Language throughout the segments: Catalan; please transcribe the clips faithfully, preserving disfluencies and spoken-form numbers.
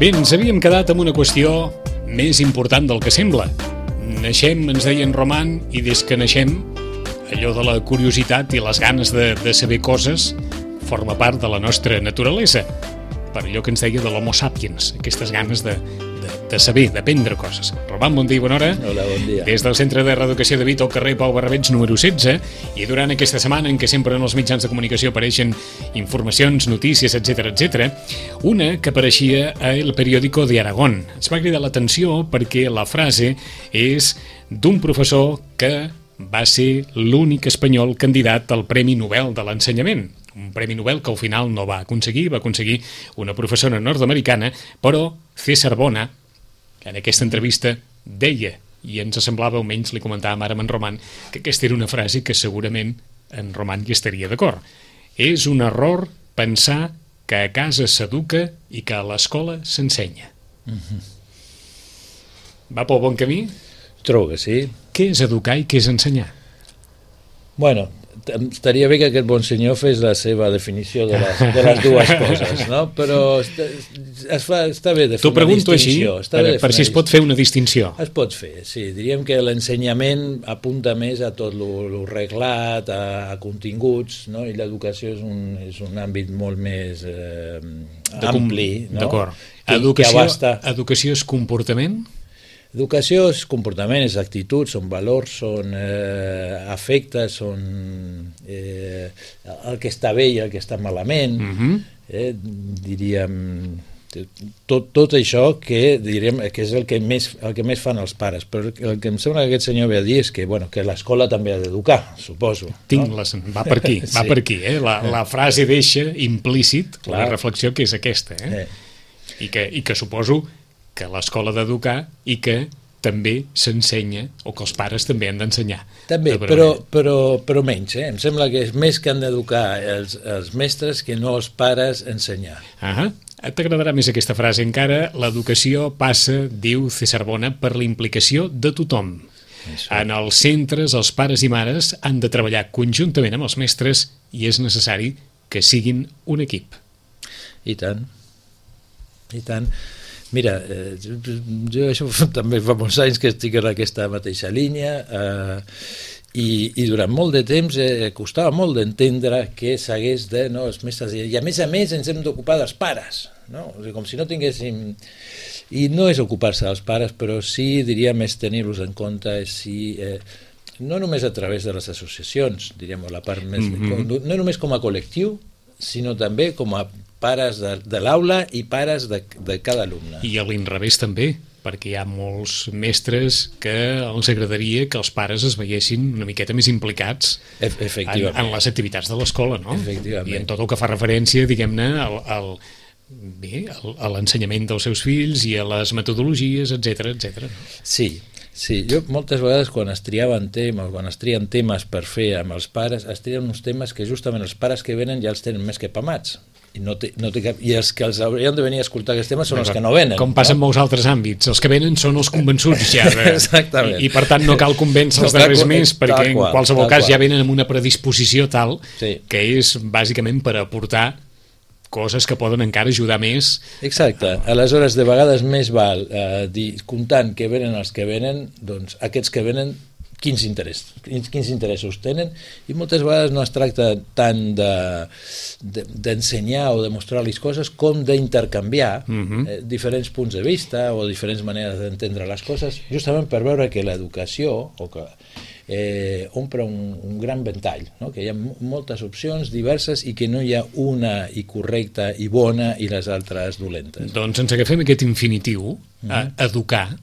Bé, ens havíem quedat amb una qüestió més important del que sembla. Naixem, ens deien Roman, i des que naixem, allò de la curiositat i les ganes de, de saber coses forma part de la nostra naturalesa. Per allò que ens deia de l'homo sapiens, aquestes ganes de, de, de saber, d'aprendre coses. Roman, bon dia i bona hora. Hola, bon dia. Des del Centre de Reeducació de Vic, al carrer Pau Barrabets, número setze, i durant aquesta setmana en què sempre en els mitjans de comunicació apareixen informacions, notícies, etcètera, etcètera, una que apareixia a El Periódico de Aragón. Ens va cridar l'atenció perquè la frase és d'un professor que va ser l'únic espanyol candidat al Premi Nobel de l'Ensenyament. Un Premi Nobel que al final no va aconseguir, va aconseguir una professora nord-americana, però César Bona, en aquesta entrevista, deia, i ens semblava, almenys li comentàvem ara amb en Roman, que aquesta era una frase que segurament en Roman hi estaria d'acord. És un error pensar que a casa s'educa i que a l'escola s'ensenya. Mm-hmm. Va pel bon camí? Trobo que sí. Què és educar i què és ensenyar? Bueno, estaria bé que aquest bon senyor fes la seva definició de les, de les dues coses, no? Però està, es fa, està bé de fer T'ho una pregunto així, distinció. per, per si es pot fer una distinció. Es pot fer, sí. Diríem que l'ensenyament apunta més a tot lo reglat, a, a continguts, no? I l'educació és, un, és un àmbit molt més eh, ampli, no? D'acord. Que, educació, que abasta... educació és comportament? Educació és comportament, és actitud, són valors, són eh, afectes, són eh, el que està bé i el que està malament, Uh-huh. eh, diríem, tot, tot això que, diríem, que és el que, més, el que més fan els pares, però el que em sembla que aquest senyor ve a dir és que, bueno, que l'escola també ha d'educar, suposo. Tinc no? les... Va per aquí, va Sí. per aquí. Eh? La, la frase deixa implícit Clar. la reflexió que és aquesta. Eh? Eh. I, que, I que suposo que l'escola ha d'educar i que també s'ensenya, o que els pares també han d'ensenyar. També, però, però, però menys, eh? Em sembla que és més que han d'educar els, els mestres que no els pares ensenyar. Ah, t'agradarà més aquesta frase encara. L'educació passa, diu César Bona, per la implicació de tothom. Això. En els centres, els pares i mares han de treballar conjuntament amb els mestres i és necessari que siguin un equip. I tant, i tant. Mira, eh, jo això també fa molts anys que estic en aquesta mateixa línia eh, i, i durant molt de temps eh, costava molt d'entendre que s'hagués de... No, els mestres, i a més a més ens hem d'ocupar dels pares, no? O sigui, com si no tinguéssim... I no és ocupar-se dels pares, però sí, diríem, és tenir-los en compte, si... Eh, no només a través de les associacions, diríem, la part més... Mm-hmm. com, no només com a col·lectiu, sinó també com a pares de, de l'aula i pares de, de cada alumne. I a l'inrevés també, perquè hi ha molts mestres que els agradaria que els pares es veiessin una miqueta més implicats e en, en les activitats de l'escola, no? Efectivament. I en tot el que fa referència, diguem-ne, al, al, bé, al, a l'ensenyament dels seus fills i a les metodologies, etcètera, etcètera. Sí, sí, jo moltes vegades quan es triaven temes, quan es trien temes per fer amb els pares, es trien uns temes que justament els pares que venen ja els tenen més que pamats. I, no té, no té cap, i els que els haurien de venir a escoltar aquests temes són els que no venen. Com passa no? en molts altres àmbits, els que venen són els convençuts ja. De, Exactament. I, I per tant no cal convèncer els No, darrers tal, més, perquè en qual, qualsevol cas qual. ja venen amb una predisposició tal Sí. que és bàsicament per aportar coses que poden encara ajudar més. Exacte, aleshores de vegades més val eh, dir, comptant que venen els que venen, doncs aquests que venen quins, interès, quins, quins interessos tenen, i moltes vegades no es tracta tant d'ensenyar de, de, o de mostrar-los coses com d'intercanviar Uh-huh. eh, diferents punts de vista o diferents maneres d'entendre les coses, justament per veure que l'educació o que eh, omple un, un gran ventall, no? Que hi ha moltes opcions diverses i que no hi ha una i correcta i bona i les altres dolentes. Doncs ens agafem aquest infinitiu, Uh-huh. a educar.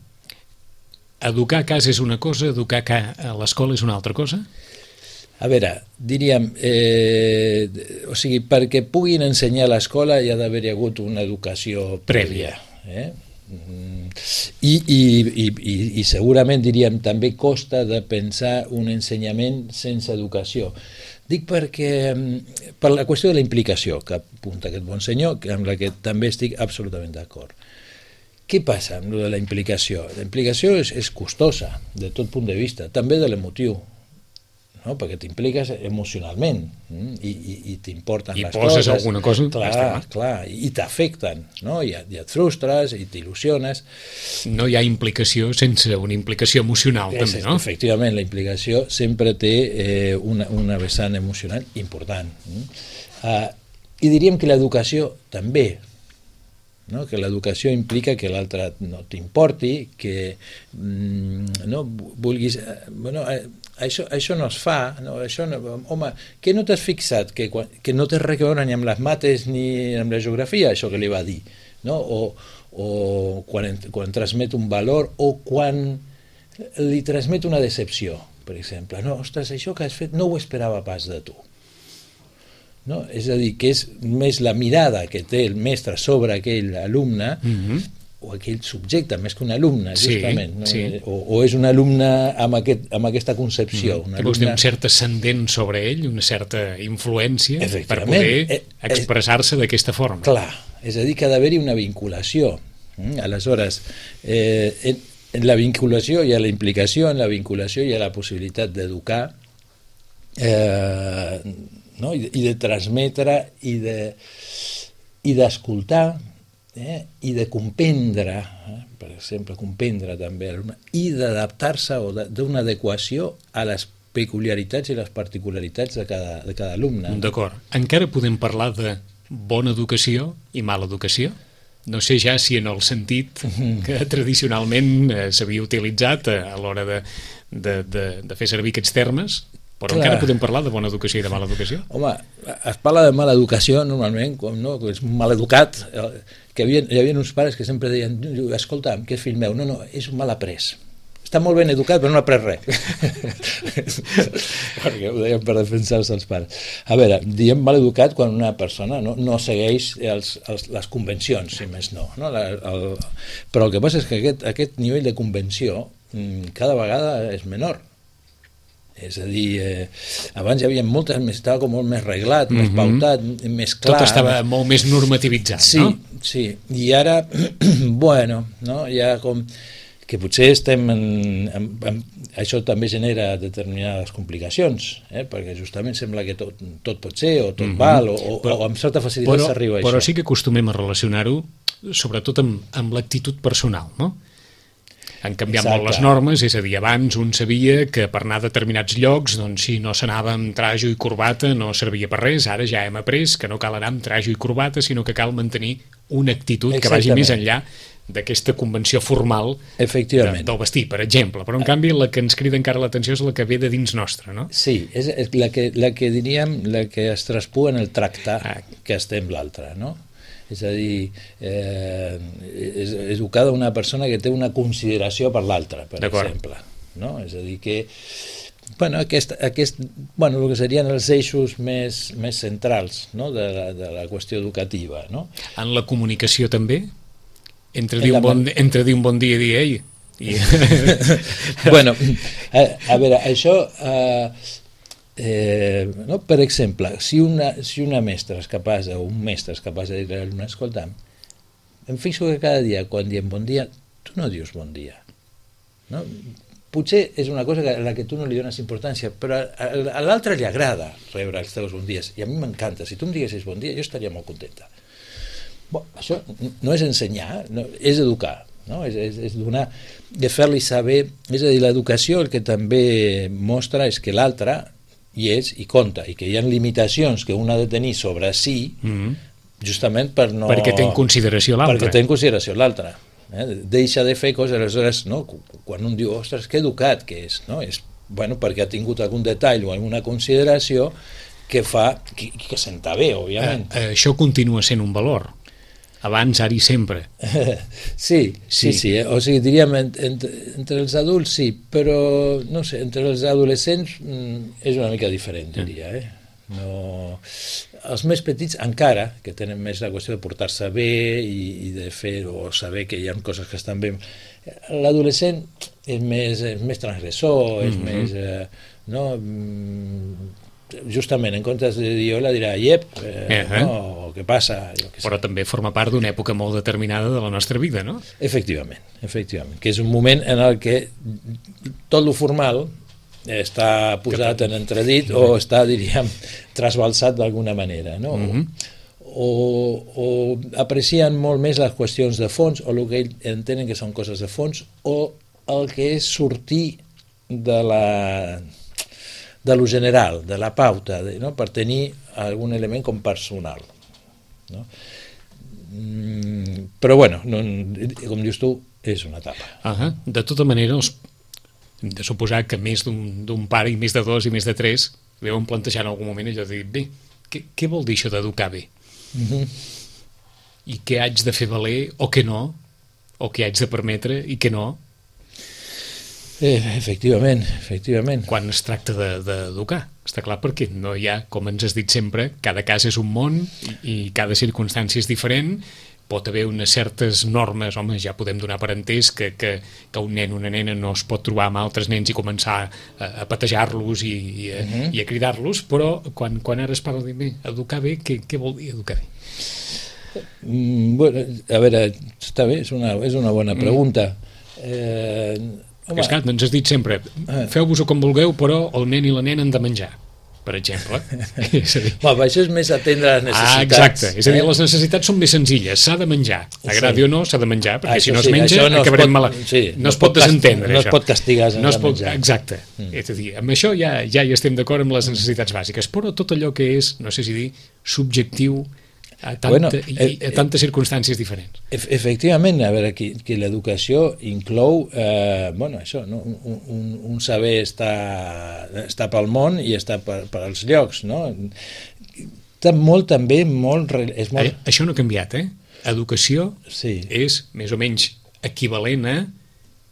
Educar a casa és una cosa, educar a l'escola és una altra cosa? A veure, diríem, eh, o sigui, perquè puguin ensenyar a l'escola hi ha d'haver hagut una educació prèvia. Eh? I, i, i, i, i segurament, diríem, també costa de pensar un ensenyament sense educació. Dic perquè, per la qüestió de la implicació que apunta aquest bon senyor, amb la que també estic absolutament d'acord. Què passa amb lo de la implicació? La implicació és, és costosa, de tot punt de vista, també de l'emotiu. no? Perquè t'impliques emocionalment mm? I, i, i t'importen I les coses. I poses alguna cosa. Clar, clar, i t'afecten, no? I, i et frustres, i t'il·lusiones. No hi ha implicació sense una implicació emocional, és, també, no? Efectivament, la implicació sempre té eh, una, una vessant emocional important. Mm? Uh, I diríem que l'educació també, no? Que l'educació implica que l'altre no t'importi, que mm, no vulguis... Bueno, eh, això, això no es fa, no? Això no, home, que no t'has fixat, que, que no té res a veure ni amb les mates ni amb la geografia, això que li va dir, no? O, o quan, quan transmet un valor o quan li transmet una decepció, per exemple. No, ostres, això que has fet no ho esperava pas de tu. No? És a dir, que és més la mirada que té el mestre sobre aquell alumne mm-hmm. o aquell subjecte, més que un alumne, justament. Sí, no? sí. O, o és un alumne amb, aquest, amb aquesta concepció. Mm-hmm. Que vols dir, un cert ascendent sobre ell, una certa influència per poder eh, expressar-se d'aquesta forma. Clar, és a dir, que ha d'haver-hi una vinculació. Mm? Aleshores, eh, en, en la vinculació hi ha la implicació, en la vinculació hi ha la possibilitat d'educar, eh, no? I, i de transmetre i de i d'escoltar eh? I de comprendre eh? Per exemple, comprendre també l'alumne i d'adaptar-se o d'una adequació a les peculiaritats i les particularitats de cada, de cada alumne. D'acord. Encara podem parlar de bona educació i mala educació? No sé ja si en el sentit que tradicionalment eh, s'havia utilitzat a, a l'hora de, de, de, de fer servir aquests termes, però Clar. Encara podem parlar de bona educació i de mala educació? Home, es parla de mala educació normalment, com no, que és un mal educat, que havia, hi havia uns pares que sempre deien, escolta, que és fill meu, no, no, és un mal après. Està molt ben educat, però no ha après res. Perquè ho deien per defensar-se els pares. A veure, diem mal educat quan una persona no, no segueix els, els, les convencions, si més no. no? La, el, però el que passa és que aquest, aquest nivell de convenció cada vegada és menor. És a dir, eh, abans hi havia moltes, estava com molt més reglat, mm-hmm. més pautat, més clar. Tot estava molt més normativitzat, sí, no? Sí, i ara, bueno, no? Ja com que potser estem en, en, en... Això també genera determinades complicacions, eh? Perquè justament sembla que tot, tot pot ser, o tot mm-hmm. val, o, o, però, o amb certa facilitat s'arriba a això. Però sí que acostumem a relacionar-ho, sobretot amb, amb l'actitud personal, no? Han canviat Exacte. Molt les normes, és a dir, abans un sabia que per anar a determinats llocs, doncs si no s'anava amb trajo i corbata no servia per res, ara ja hem après que no cal anar amb trajo i corbata, sinó que cal mantenir una actitud Exactament. Que vagi més enllà d'aquesta convenció formal de, del vestir, per exemple. Però en canvi la que ens crida encara l'atenció és la que ve de dins nostre, no? Sí, és, és la, que, la que diríem, la que es traspua en el tractar ah. que estem l'altre, no? És a dir, eh, és, és educada una persona que té una consideració per l'altra, per exemple. No? És a dir, que bueno, aquest, aquest, bueno, el que serien els eixos més, més centrals, no? de, la, de la qüestió educativa. No? En la comunicació també? Entre dir, un bon, entre dir un bon dia i dir ei? I... bueno, a, a veure, això... Eh, Eh, no? Per exemple, si una, si una mestra és capaç, o un mestre és capaç de dir a l'alumne, escolta, em fixo que cada dia, quan diem bon dia, tu no dius bon dia. No? Potser és una cosa a la que tu no li dones importància, però a, a l'altre li agrada rebre els teus bons dies, i a mi m'encanta. Si tu em diguessis bon dia, jo estaria molt contenta. Bon, això no és ensenyar, no, és educar. No? És, és, és donar, de fer-li saber, és a dir, l'educació el que també mostra és que l'altre hi és i compta, i que hi ha limitacions que un ha de tenir sobre si, mm-hmm. justament per no... Perquè té en consideració l'altre. Perquè té en consideració l'altre. Eh? Deixa de fer coses, aleshores, no? Quan un diu, ostres, que educat que és, no? És, bueno, perquè ha tingut algun detall o alguna consideració que fa, que, que senta bé, òbviament. Eh, eh, això continua sent un valor. Abans, ara i sempre. Sí, sí, sí. sí eh? O sigui, diríem, entre, entre els adults sí, però, no sé, entre els adolescents mm, és una mica diferent, diria, eh? No... Els més petits encara, que tenen més la qüestió de portar-se bé i, i de fer o saber que hi ha coses que estan bé. L'adolescent és més, és més transgressor, és mm-hmm. més... Eh, no... Mm, justament, en comptes de dir hola, dirà iep, eh, eh, eh. no, què passa? Jo què sé. Però també forma part d'una època molt determinada de la nostra vida, no? Efectivament, efectivament, que és un moment en el que tot lo formal està posat en entredit o està, diríem, trasbalsat d'alguna manera, no? Mm-hmm. o, o aprecien molt més les qüestions de fons o el que ells entenen que són coses de fons o el que és sortir de la de lo general, de la pauta, de, no? Per tenir algun element com personal, no? Mm, però bueno, no, com dius tu, és una etapa. Uh-huh. De tota manera, els hem de suposar que més d'un pare i més de dos i més de tres deuen plantejar en algun moment allò de dir, bé, què, què vol dir això d'educar bé? Uh-huh. I què haig de fer valer o què no? O què haig de permetre i què no? Eh, efectivament, efectivament. Quan es tracta d'educar, de, està clar, perquè no hi ha, com ens has dit sempre, cada cas és un món i, i cada circumstància és diferent. Pot haver unes certes normes, home, ja podem donar per entès que, que, que un nen o una nena no es pot trobar amb altres nens i començar a, a patejar-los i, i, a, uh-huh. i a cridar-los, però quan, quan ara es parla de bé, educar bé, què, què vol dir educar bé? Mm, bueno, a veure, està bé, és una, és una bona pregunta. Mm. Eh, home, és clar, ens has dit sempre, feu-vos-ho com vulgueu, però el nen i la nena han de menjar, per exemple. És a dir... Home, això és més atendre les necessitats. Ah, exacte. És a dir, les necessitats són més senzilles. S'ha de menjar. Agradi sí. o no, s'ha de menjar, perquè això si no sí, es menja, no acabarem mal... Sí, no, no es pot desentendre, no això. es pot castigar sense no pot... menjar. Exacte. Mm. És a dir, amb això ja, ja hi estem d'acord amb les necessitats bàsiques, però tot allò que és, no sé si dir, subjectiu a, tanta, bueno, eh, i a tantes circumstàncies diferents. Efectivament, a veure, que, que l'educació inclou eh, bueno, això, no? un, un, un saber està, està pel món i està per, per als llocs, no? Està molt també molt, és molt... A, això no ha canviat, eh? Educació sí. és més o menys equivalent a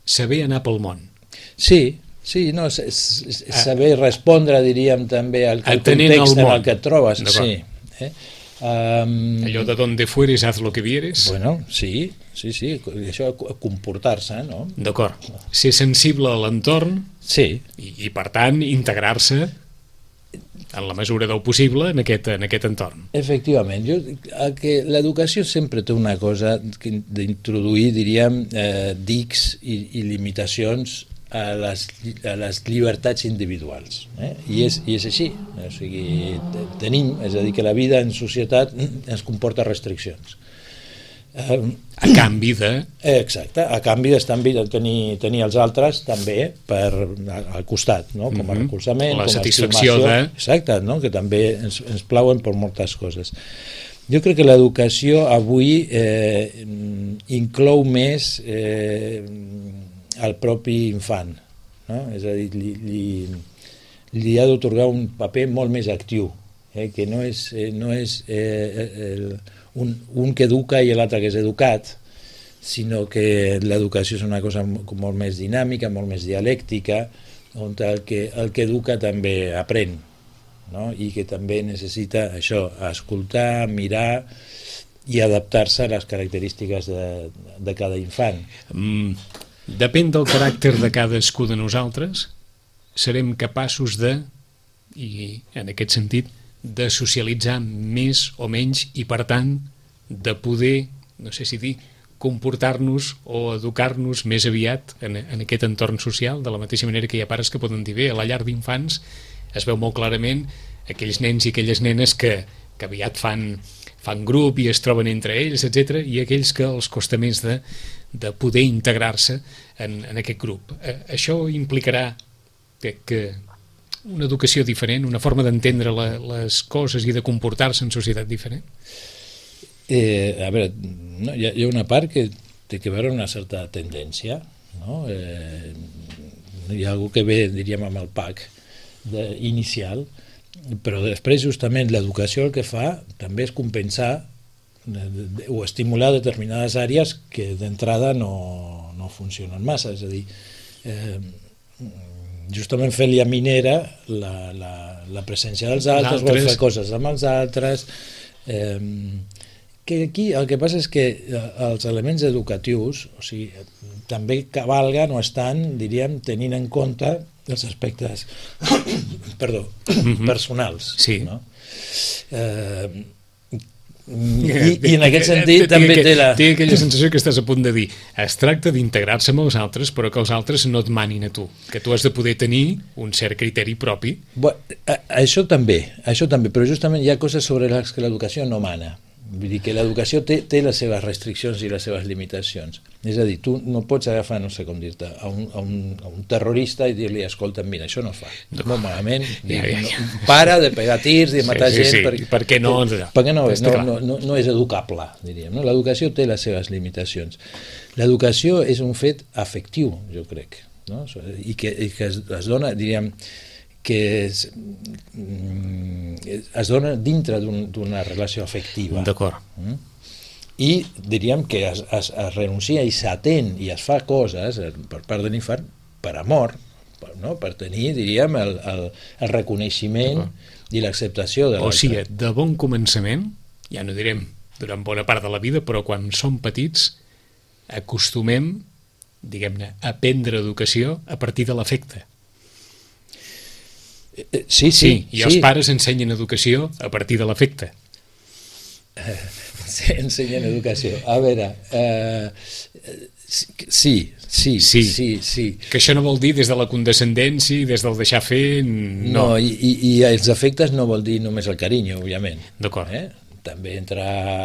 saber anar pel món. Sí, sí, no, saber respondre, diríem, també al, al context en el que et trobes. Sí, eh? Um, allò de donde fueres haz lo que vieres. Bueno, sí, sí, sí, això comportar-se, no? D'acord, ser sensible a l'entorn sí. i, i per tant integrar-se en la mesura del possible en aquest, en aquest entorn. Efectivament, jo, que l'educació sempre té una cosa d'introduir, diríem, eh, dics i, i limitacions a les, a les llibertats individuals, eh? I, és, i és així, o sigui, tenim, és a dir, que la vida en societat ens comporta restriccions. Eh, a canvi de... Exacte, a canvi d'estar de tenir, tenir els altres també per, al costat, no? Com a mm-hmm. recolzament, la com a satisfacció de... Exacte, no? Que també ens, ens plauen per moltes coses. Jo crec que l'educació avui eh, inclou més eh, al propi infant, no? És a dir, li, li, li ha d'otorgar un paper molt més actiu, eh? Que no és, eh, no és eh, el, un, un que educa i l'altre que és educat, sinó que l'educació és una cosa molt més dinàmica, molt més dialèctica, on el que, el que educa també aprèn, no? I que també necessita això, escoltar, mirar i adaptar-se a les característiques de, de cada infant. Mm. Depèn del caràcter de cadascú de nosaltres, serem capaços de, i en aquest sentit, de socialitzar més o menys i, per tant, de poder, no sé si dir, comportar-nos o educar-nos més aviat en, en aquest entorn social, de la mateixa manera que hi ha pares que poden dir, bé, a la llar d'infants es veu molt clarament aquells nens i aquelles nenes que, que aviat fan, fan grup i es troben entre ells, etcètera, i aquells que els costa més de de poder integrar-se en, en aquest grup. Eh, això implicarà que, que una educació diferent, una forma d'entendre la, les coses i de comportar-se en societat diferent? Eh, a veure, no, hi, ha, hi ha una part que té que veure una certa tendència, no? Eh, hi ha algú que ve, diríem, amb el pack de, inicial, però després justament l'educació el que fa també és compensar o estimular determinades àrees que d'entrada no, no funcionen massa, és a dir, eh, justament fer-li a minera la, la, la presència dels altres, vol fer coses amb els altres, eh, que aquí el que passa és que els elements educatius, o sigui, també cavalguen o estan, diríem, tenint en compte els aspectes perdó, mm-hmm. personals, sí. No? Eh, I, i en aquest sentit també té la... Té aquella sensació que estàs a punt de dir, es tracta d'integrar-se amb els altres, però que els altres no et manin a tu, que tu has de poder tenir un cert criteri propi. Bueno, això també, això també, però justament hi ha coses sobre les que l'educació no mana. Vull dir que l'educació té, té les seves restriccions i les seves limitacions. És a dir, tu no pots agafar, no sé com dir-te, a, un, a, un, a un terrorista i dir-li, escolta, mira, això no es fa. No. Molt malament. Ja, ja, ja. No, para de pegar tirs i de matar sí, sí, gent. Sí. Per, per què no? Perquè no, no, no, no, no és educable, diríem. No? L'educació té les seves limitacions. L'educació és un fet afectiu, jo crec, no? I que, i que es, es dona, diríem, que es, es dona dintre d'una relació afectiva. D'acord. Mm? I diríem que es, es, es renuncia i s'atén i es fa coses per part de l'infant per amor, per, no? Per tenir, diríem, el, el, el reconeixement i l'acceptació de l'altre. O sigui, de bon començament, ja no direm durant bona part de la vida, però quan som petits acostumem, diguem-ne, a aprendre educació a partir de l'afecte. Sí, sí, sí, i els sí. pares ensenyen educació a partir de l'afecte. Eh, sí, ensenyen educació. A veure, eh, sí, sí, sí, sí, sí. Que això no vol dir des de la condescendència i des del deixar fer... No, no i, i, i els afectes no vol dir només el carinyo, òbviament. D'acord. Eh? També entra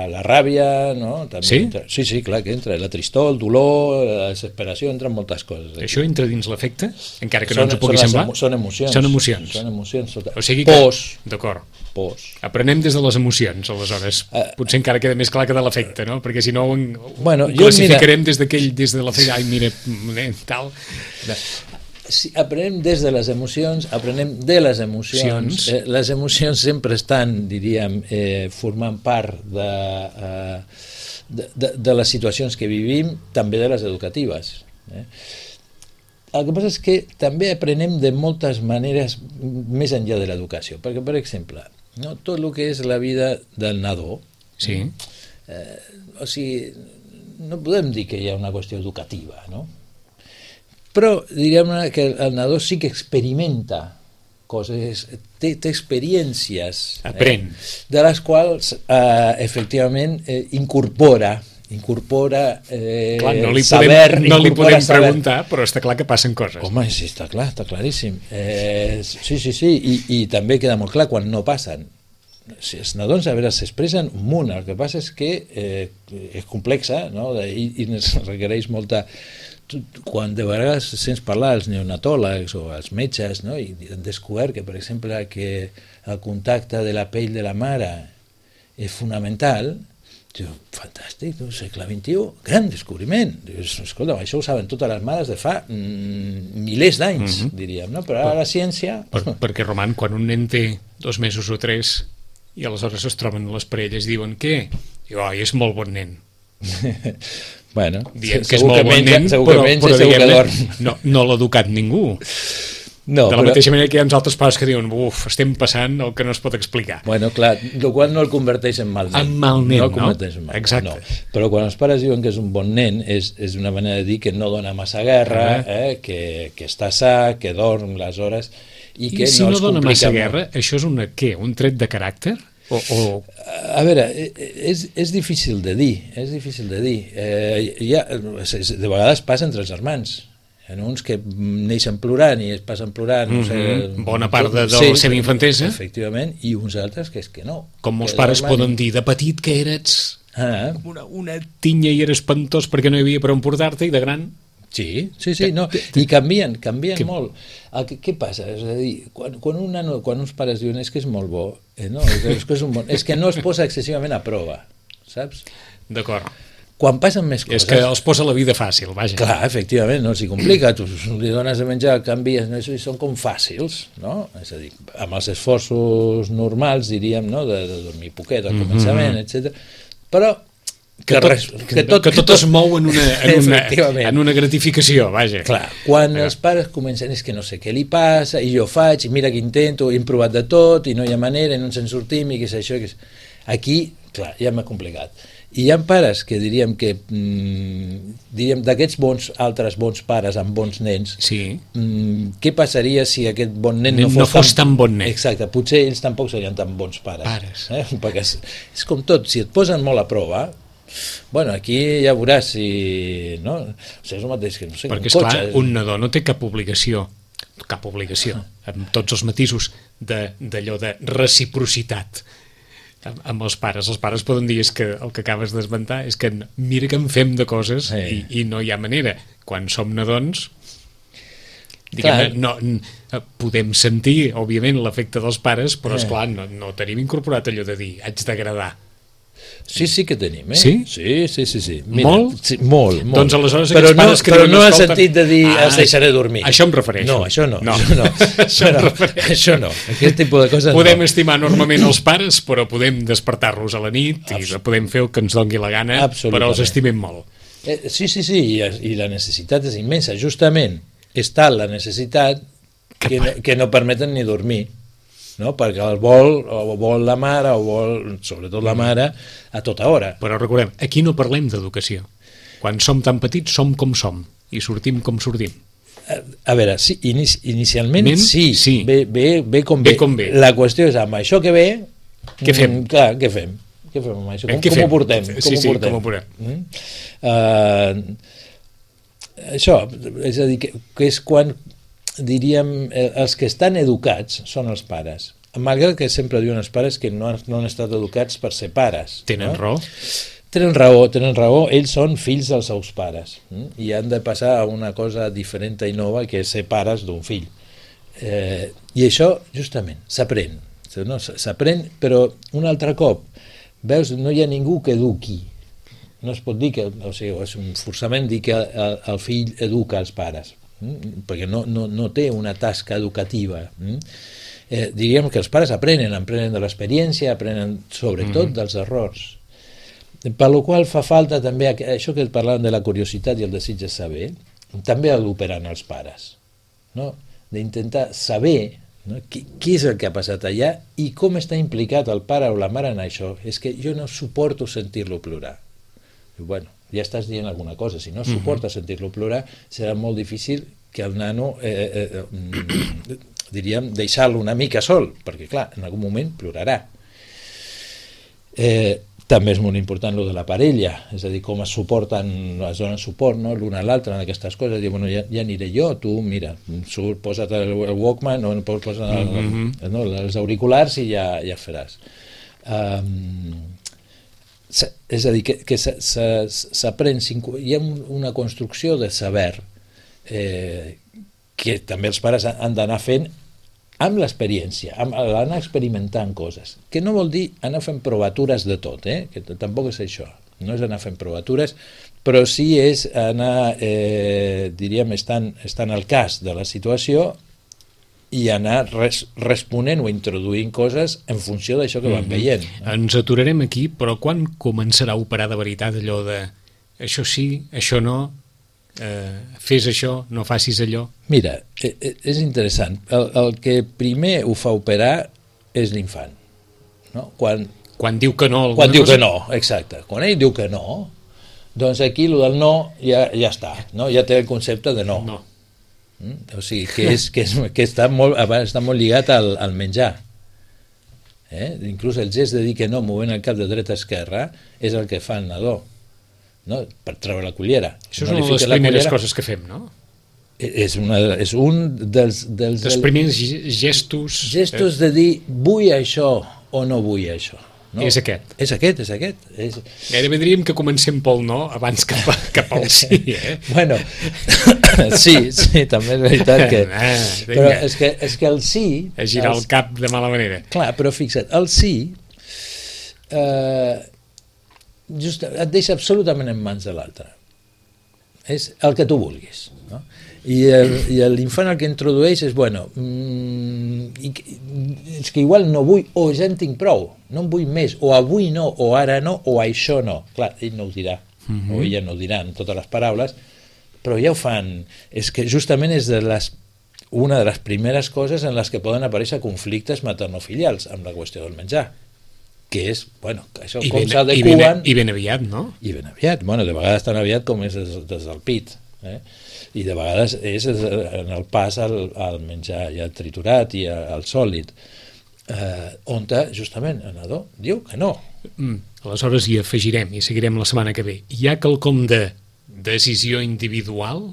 la ràbia, no? També sí? Entra... Sí, sí, clar que entra. La tristor, el dolor, la desesperació, entren moltes coses. Aquí. Això entra dins l'afecte? Encara que no són, ens ho pugui semblar? Emo són emocions. Són emocions. Són emocions. Sota... O sigui que... Pors. D'acord. Pors. Aprenem des de les emocions, aleshores. Uh, Potser encara queda més clar que de l'afecte, no? Perquè si no ho, bueno, ho classificarem mira... des d'aquell, des de l'afecte. Ai, mira, tal... Sí, aprenem des de les emocions, aprenem de les emocions. Eh, les emocions sempre estan, diríem, eh, formant part de, eh, de, de, de les situacions que vivim, també de les educatives. Eh? El que passa és que també aprenem de moltes maneres més enllà de l'educació, perquè, per exemple, no, tot el que és la vida del nadó, sí. eh, o sigui, no podem dir que hi ha una qüestió educativa, no? Però diríem que el nadó sí que experimenta coses, té, té experiències aprèn eh, de les quals eh, efectivament eh, incorpora incorpora eh, clar, no li saber podem, no li podem saber. preguntar, però està clar que passen coses. Home, sí, està clar, està claríssim. Eh, sí, sí, sí, i, i també queda molt clar quan no passen. Si els nadons a veure s'expressen un munt, el que passa és que eh, és complexa, no? I, i requereix molta... Quan de vegades sents parlar als neonatòlegs o als metges, no? I han descobert que, per exemple, que el contacte de la pell de la mare és fonamental, diu, fantàstic, no? Segle vint-i-u, gran descobriment. Dius, escolta, això ho saben totes les mares de fa mm, milers d'anys, mm-hmm. diríem, no? Però ara la ciència... Per, perquè, Roman, quan un nen té dos mesos o tres i aleshores es troben les parelles i diuen, què? Diu, oi, és molt bon nen. Bueno, diem que és molt bon nen, però, però diguem, no, no l'ha educat ningú. No, de la però... mateixa manera que hi ha uns altres pares que diuen, uf, estem passant el que no es pot explicar. Bueno, clar, el qual no el converteix en mal nen. En mal nen, no? no? En mal, exacte. No. Però quan els pares diuen que és un bon nen, és, és una manera de dir que no dona massa guerra, uh-huh. eh? que, que està sa, que dorm les hores, i, I que si no, no els dona massa molt. guerra, això és una, què? Un tret de caràcter? O, o... A veure, és, és difícil de dir, és difícil de dir. Eh, ha, de vegades passa entre els germans. Hi ha uns que neixen plorant i es passen plorant, no sé... Mm-hmm. Bona part de, de la sí, seva infantesa. Efectivament, i uns altres que és que no. Com molts pares poden dir, de petit que eres ah. una, una tinya i eres espantós perquè no hi havia per on portar-te, i de gran... Sí, sí, sí, no, i canvien, canvien que... molt. El que, què passa? És a dir, quan, quan, una, quan uns pares diuen és que és molt bo, eh, no, és, que és, un bon, és que no es posa excessivament a prova, saps? D'acord. Quan passen més coses... És que els posa la vida fàcil, vaja. Clar, efectivament, no s'hi complica, tu li dones a menjar, canvies, no? I són com fàcils, no? És a dir, amb els esforços normals, diríem, no? De, de dormir poquet al començament, mm-hmm. etcètera. Però que, tot, res, que, tot, que tot es mou en una, en una, en una gratificació, vaja. Clar, quan els pares comencen és que no sé què li passa, i jo faig, i mira que intento, he provat de tot, i no hi ha manera, i no ens en sortim, i què és això, que és... Aquí, clar, ja m'ha complicat. I hi ha pares que diríem que mm, diríem d'aquests bons, altres bons pares amb bons nens, sí. mm, què passaria si aquest bon nen, nen no fos, no fos tan, tan bon nen? Exacte, potser ells tampoc serien tan bons pares. pares. Eh? Perquè és, és com tot, si et posen molt a prova, bueno, aquí ja veuràs si... No? O sigui, és el mateix que, no sé, perquè, un cotxe... esclar, un nadó no té cap obligació, cap obligació, amb tots els matisos d'allò de, de reciprocitat amb, amb els pares. Els pares poden dir és que el que acabes d'esmentar és que mira que en fem de coses sí. i, i no hi ha manera. Quan som nadons, diguem, no, podem sentir, òbviament, l'efecte dels pares, però, esclar, no, no tenim incorporat allò de dir haig d'agradar. Sí, sí que tenim, eh? Sí? Sí, sí, sí. sí. Mira, molt? Sí, molt, molt. Doncs aleshores però aquests pares no, que però diuen, no en escolta... sentit de dir ah, els deixaré dormir. Això em refereixo. No, això no. no. Això no. això, bueno, això no. Aquest tipus de coses podem no. estimar normalment els pares, però podem despertar-los a la nit i podem fer el que ens doni la gana, però els estimem molt. Eh, sí, sí, sí, i, i la necessitat és immensa. Justament està la necessitat que, que, no, que no permeten ni dormir. No? Perquè el vol, o vol la mare, o vol, sobretot la mare, a tota hora. Però recordem, aquí no parlem d'educació. Quan som tan petits, som com som, i sortim com sortim. A, a veure, sí, inici, inicialment Men, sí, sí. Ve, ve, ve, com ve ve. com ve. La qüestió és, amb això que ve... Què fem? Mm, clar, què fem? Què fem amb això? Com, com ho portem? Com sí, ho sí, portem? com ho portem. Mm? Uh, això, és a dir, que, que és quan... diríem, els que estan educats són els pares, malgrat que sempre diuen els pares que no han, no han estat educats per ser pares. Tenen no? raó. Tenen raó, tenen raó, ells són fills dels seus pares hm? i han de passar a una cosa diferent i nova que és ser pares d'un fill. Eh, I això, justament, s'aprèn, no? s'aprèn, però un altre cop, veus, no hi ha ningú que eduqui. No es pot dir que, o sigui, és un forçament dir que el, el fill educa els pares, perquè no, no, no té una tasca educativa. Eh, diríem que els pares aprenen, aprenen de l'experiència, aprenen sobretot mm-hmm. dels errors. Per la qual fa falta també, això que parlàvem de la curiositat i el desig de saber, també ha d'operar en els pares, no? D'intentar saber, no? Qui, qui és el que ha passat allà i com està implicat el pare o la mare en això. És que jo no suporto sentir-lo plorar. I, bueno, ja estàs dient alguna cosa. Si no suporta uh-huh. sentir-lo plorar, serà molt difícil que el nano, eh, eh, eh, diríem, deixar-lo una mica sol, perquè, clar, en algun moment plorarà. Eh, també és molt important lo de la parella, és a dir, com es suporten, es donen suport, no?, l'un a l'altre en aquestes coses. Dir, bueno, ja, ja aniré jo, tu, mira, surt, posa't el, el Walkman, no, posa't el, uh-huh. no, els auriculars i ja, ja faràs. Um, és a dir, que, que s'aprèn, hi ha una construcció de saber eh, que també els pares han d'anar fent amb l'experiència, anar experimentant coses, que no vol dir anar fent provatures de tot, eh? Que tampoc és això, no és anar fent provatures, però sí és anar, eh, diríem, estant, estant al cas de la situació i anar res, responent o introduint coses en funció d'això que van veient. Mm-hmm. Ens aturarem aquí, però quan començarà a operar de veritat allò de això sí, això no, eh, fes això, no facis allò? Mira, és interessant. El, el que primer ho fa operar és l'infant. No? Quan, quan diu que no. Quan diu cosa... que no, exacte. Quan ell diu que no, doncs aquí el del no ja, ja està, no? Ja té el concepte de no. No. O sigui, que, és, que, és, que està, molt, està molt lligat al, al menjar. Eh? Inclús el gest de dir que no, movent el cap de dreta a esquerra, és el que fa el nadó, no? Per treure la cullera. Això no és una de les primeres cullera, coses que fem, no? És, una, és un dels... dels dels primers gestos... Gestos de dir, vull això o no vull això. No? És aquest. És aquest, és aquest. És... Gairebé diríem que comencem pel no abans que, que pel sí, eh? Bueno, sí, sí, també és veritat que... Ah, però és que, és que el sí... A girar el, el cap de mala manera. Clar, però fixa't, el sí eh, just et deixa absolutament en mans de l'altre. És el que tu vulguis, no? I, el, i l'infant el que introdueix és, bueno, mm, i, és que igual no vull, o ja en tinc prou, no en vull més, o avui no, o ara no, o això no. Clar, ell no ho dirà, uh-huh. o ella no ho dirà amb totes les paraules, però ja ho fan. És que justament és de les, una de les primeres coses en les que poden aparèixer conflictes maternofilials amb la qüestió del menjar. que és, bueno, que això I com ben, i, s'adequen... ben, I ben aviat, no? I ben aviat, bueno, de vegades tan aviat com és des, des del pit, eh? I de vegades és en el pas al, al menjar ja triturat i al sòlid, eh, on justament el nadó diu que no. Mm, aleshores hi afegirem i seguirem la setmana que ve. Hi ha quelcom de decisió individual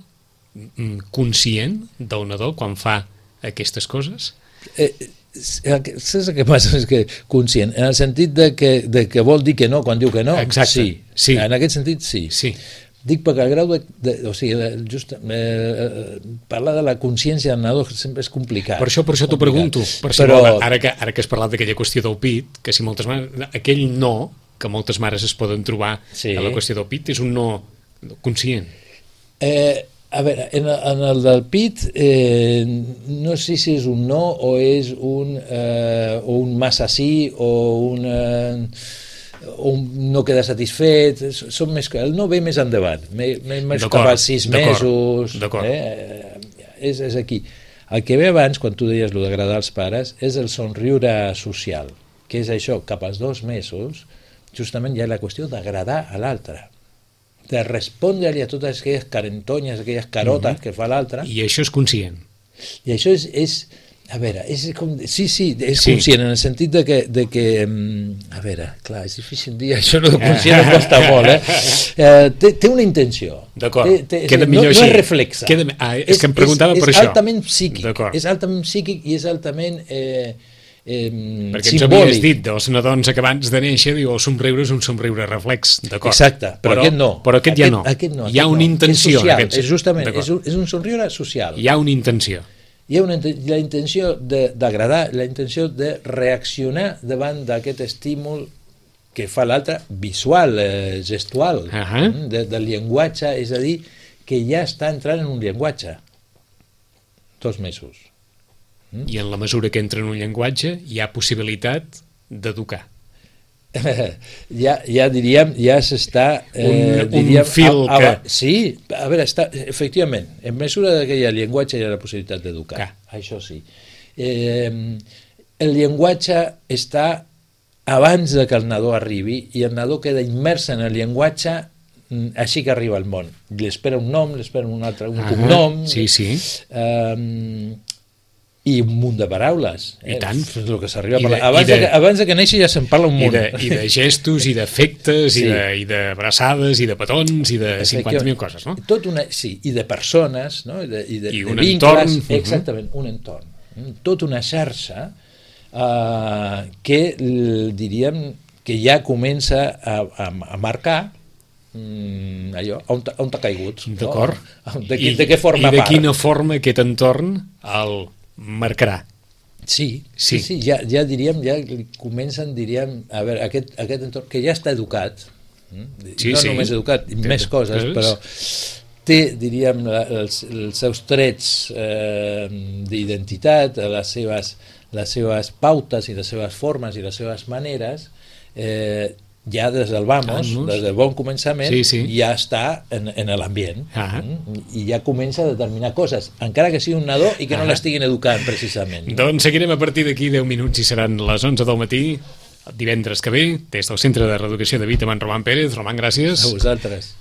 conscient del nadó quan fa aquestes coses? Eh, saps el que passa? És que conscient, en el sentit de que, de que vol dir que no quan diu que no. Exacte, sí. sí. En aquest sentit sí, sí. Dic perquè el grau de, de o sigui, just, eh, parlar de la consciència del nadó sempre és complicat. Per això, per això t'ho pregunto, per si però... vol, ara, que, ara que has parlat d'aquella qüestió del pit, que si moltes mares, aquell no que moltes mares es poden trobar sí. a la qüestió del pit és un no conscient. Eh, a veure, en, en el del pit eh, no sé si és un no o és un, eh, o un massa sí o un, eh, un no queda satisfet, són més, el no ve més endavant, més cap als sis mesos, eh, és, és aquí. El que ve abans, quan tu deies el d'agradar als pares, és el somriure social, que és això, cap als dos mesos, justament hi ha la qüestió d'agradar a l'altre, de respondre-li a totes aquelles carentonyes, aquelles carotes mm-hmm. que fa l'altre. I això és conscient. I això és, és a veure, és com, sí, sí, és sí. conscient, en el sentit de que, de que, a veure, clar, és difícil dir, això no de conscient em costa molt, eh? eh té, té una intenció. D'acord, queda no, millor no així. és reflexa. Queda, ah, és, és que em preguntava és, per és això. És altament psíquic, és altament psíquic i és altament... Eh, Eh, perquè ens simbòlic. havies dit dels nadons acabants de néixer, diu, el somriure és un somriure reflex, d'acord. Exacte, però, però aquest no. Però aquest, aquest ja no. Aquest no hi ha aquest una no. intenció. És social, aquest... és justament, és un, és un somriure social. Hi ha una intenció. Hi ha una, la intenció d'agradar, la intenció de reaccionar davant d'aquest estímul que fa l'altre, visual, eh, gestual, uh -huh. de, del llenguatge, és a dir, que ja està entrant en un llenguatge. Dos mesos. I en la mesura que entra en un llenguatge hi ha possibilitat d'educar. ja, ja diríem, ja s'està... Eh, un, diríem, un fil a, a, que... Sí, a veure, està, efectivament, en mesura que hi ha llenguatge hi ha la possibilitat d'educar, que. Això sí. Eh, el llenguatge està abans de que el nadó arribi i el nadó queda immers en el llenguatge així que arriba al món. Li espera un nom, li espera un altre, un ah, cognom... Sí, sí. Eh, i un munt de paraules. I tant. És el que s'arriba a parlar. Abans, de, de, que, abans de que neixi ja se'n parla un munt. I de, i de gestos, i d'efectes, sí. i d'abraçades, i de petons, i de cinquanta mil coses, no? Tot una, sí, i de persones, no? I de, i de, I de un vincles, entorn. Exactament, un entorn. Tot una xarxa eh, que, diríem, que ja comença a, a, a marcar mm, allò, on, on t'ha caigut. D'acord. No? De, de, de què forma part. I de part. quina forma aquest entorn el marcarà. Sí, sí, sí, sí ja, ja diríem, ja comencen, diríem, a veure, aquest, aquest entorn que ja està educat, sí, no sí. només educat, i més coses, però té, diríem, els, els seus trets eh, d'identitat, les seves, les seves pautes i les seves formes i les seves maneres, eh, ja des del vamos, ah, des del bon començament, sí, sí. ja està en, en l'ambient ah. i ja comença a determinar coses, encara que sigui un nadó i que ah. no l'estiguin educant precisament. Doncs seguirem a partir d'aquí deu minuts i seran les onze del matí, divendres que ve, des del Centre de Reeducació de Vita amb en Roman Pérez. Roman, gràcies. A vosaltres.